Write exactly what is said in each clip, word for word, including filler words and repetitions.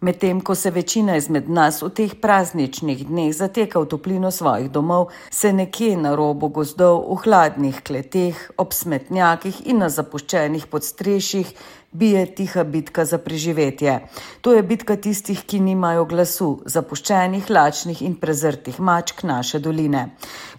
Medtem ko se večina izmed nas v teh prazničnih dneh zateka v toplino svojih domov, se nekje na robu gozdov, v hladnih kleteh, ob smetnjakih in na zapuščenih podstrešjih bije tiha bitka za preživetje. To je bitka tistih, ki nimajo glasu, zapuščenih, lačnih in prezrtih mačk naše doline.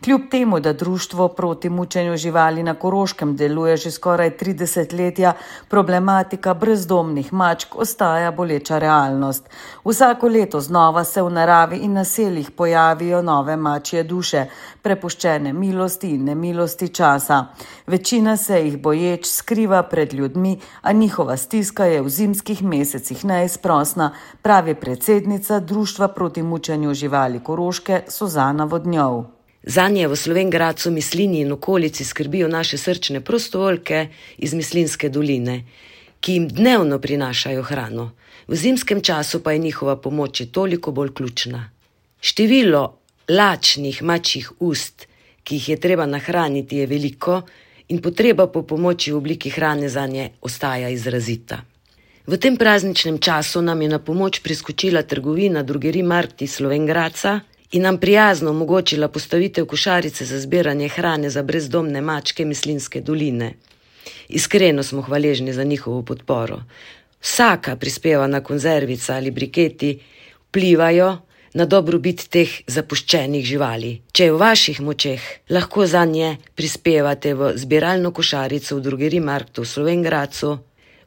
Kljub temu, da društvo proti mučenju živali na Koroškem deluje že skoraj tri desetletja, problematika brezdomnih mačk ostaja boleča realnost. Vsako leto znova se v naravi in naseljih pojavijo nove mačje duše, prepuščene milosti in nemilosti časa. Večina se jih boječ skriva pred ljudmi, a njihova stiska je v zimskih mesecih neizprosna, pravi predsednica Društva proti mučenju živali Koroške Suzana Vodnjov. Zanje v Slovenj Gradcu, Mislinji in okolici skrbijo naše srčne prostovoljke iz Mislinjske doline, ki jim dnevno prinašajo hrano. V zimskem času pa je njihova pomoč toliko bolj ključna. Število lačnih mačjih ust, ki jih je treba nahraniti, je veliko in potreba po pomoči v obliki hrane zanje ostaja izrazita. V tem prazničnem času nam je na pomoč priskočila trgovina Drogerij Markt iz Slovenj Gradca in nam prijazno omogočila postavitev košarice za zbiranje hrane za brezdomne mačke Mislinjske doline. Iskreno smo hvaležni za njihovo podporo. Vsaka prispevana konzervica ali briketi vplivajo na dobrobit teh zapuščenih živali. Če je v vaših močeh, lahko zanje prispevate v zbiralno košarico v Drogerij Marktu v Slovenj Gradcu.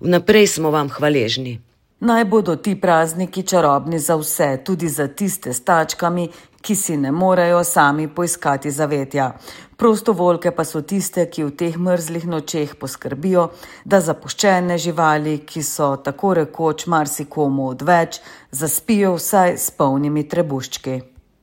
Vnaprej smo vam hvaležni. Naj bodo ti prazniki čarobni za vse, tudi za tiste s tačkami, ki si ne morejo sami poiskati zavetja. Prostovoljke pa so tiste, ki v teh mrzlih nočeh poskrbijo, da zapuščene živali, ki so tako rekoč marsikomu odveč, zaspijo vsaj s polnimi trebuščki.